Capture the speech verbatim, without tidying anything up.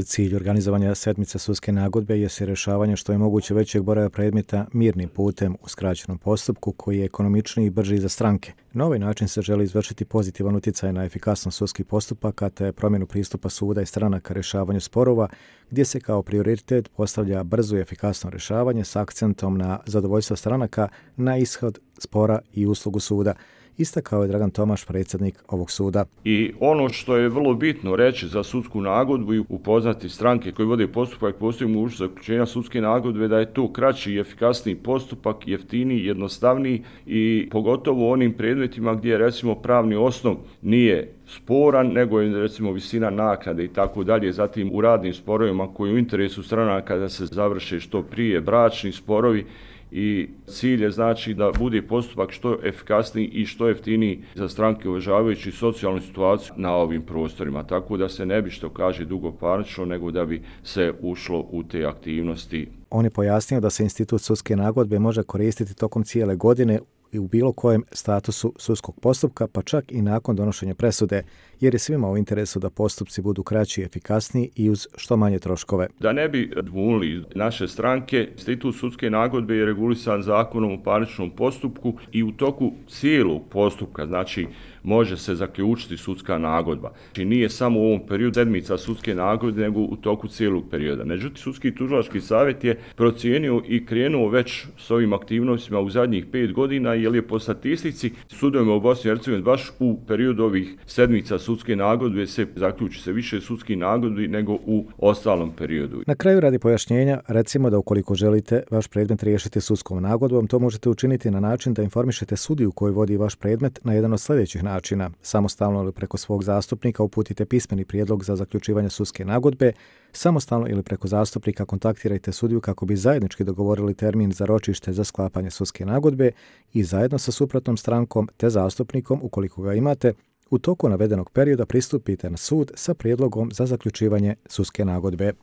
Cilj organizovanja sedmice sudske nagodbe je se rješavanje što je moguće većeg broja predmeta mirnim putem u skraćenom postupku koji je ekonomičniji i brži za stranke. Na ovaj način se želi izvršiti pozitivan utjecaj na efikasnost sudskih postupaka te promjenu pristupa suda i stranaka rješavanju sporova, gdje se kao prioritet postavlja brzo i efikasno rješavanje s akcentom na zadovoljstvo stranaka na ishod spora i uslugu suda. Istakao je Dragan Tomaš, predsjednik ovog suda. I ono što je vrlo bitno reći za sudsku nagodbu i upoznati stranke koji vode postupak, postoji mogućnost zaključenja sudske nagodbe da je to kraći i efikasniji postupak, jeftiniji, jednostavniji i pogotovo u onim predmetima gdje recimo pravni osnov nije sporan, nego je recimo visina naknade i tako dalje. Zatim u radnim sporovima koji u interesu stranaka da se završe što prije, bračni sporovi, i cilj je znači da bude postupak što efikasniji i što jeftiniji za stranke uvažavajući socijalnu situaciju na ovim prostorima. Tako da se ne bi, što kaže, dugo parnično, nego da bi se ušlo u te aktivnosti. On je pojasnio da se institut sudske nagodbe može koristiti tokom cijele godine i u bilo kojem statusu sudskog postupka, pa čak i nakon donošenja presude, jer je svima u interesu da postupci budu kraći i efikasniji i uz što manje troškove. Da ne bi dvunili naše stranke, institut sudske nagodbe je regulisan zakonom o parničnom postupku i u toku cijelog postupka, znači može se zaključiti sudska nagodba. Znači nije samo u ovom periodu sedmica sudske nagodbe, nego u toku cijelog perioda. Međutim, sudski tužilački savjet je procijenio i krenuo već s ovim aktivnostima u zadnjih pet godina, jer je po statistici sudovima u Bosni i Hercegovini baš u periodu ovih sedmica sudske nagodbe se zaključi se više sudskih nagodbi nego u ostalom periodu. Na kraju, radi pojašnjenja, recimo da ukoliko želite vaš predmet riješiti sudskom nagodbom, to možete učiniti na način da informišete sudiju koji vodi vaš predmet na jedan od sljedećih načina. Samostalno ili preko svog zastupnika uputite pismeni prijedlog za zaključivanje sudske nagodbe, samostalno ili preko zastupnika kontaktirajte sudiju kako bi zajednički dogovorili termin za ročište za sklapanje sudske nagodbe i zajedno sa suprotnom strankom te zastupnikom, ukoliko ga imate, u toku navedenog perioda pristupite na sud sa prijedlogom za zaključivanje sudske nagodbe.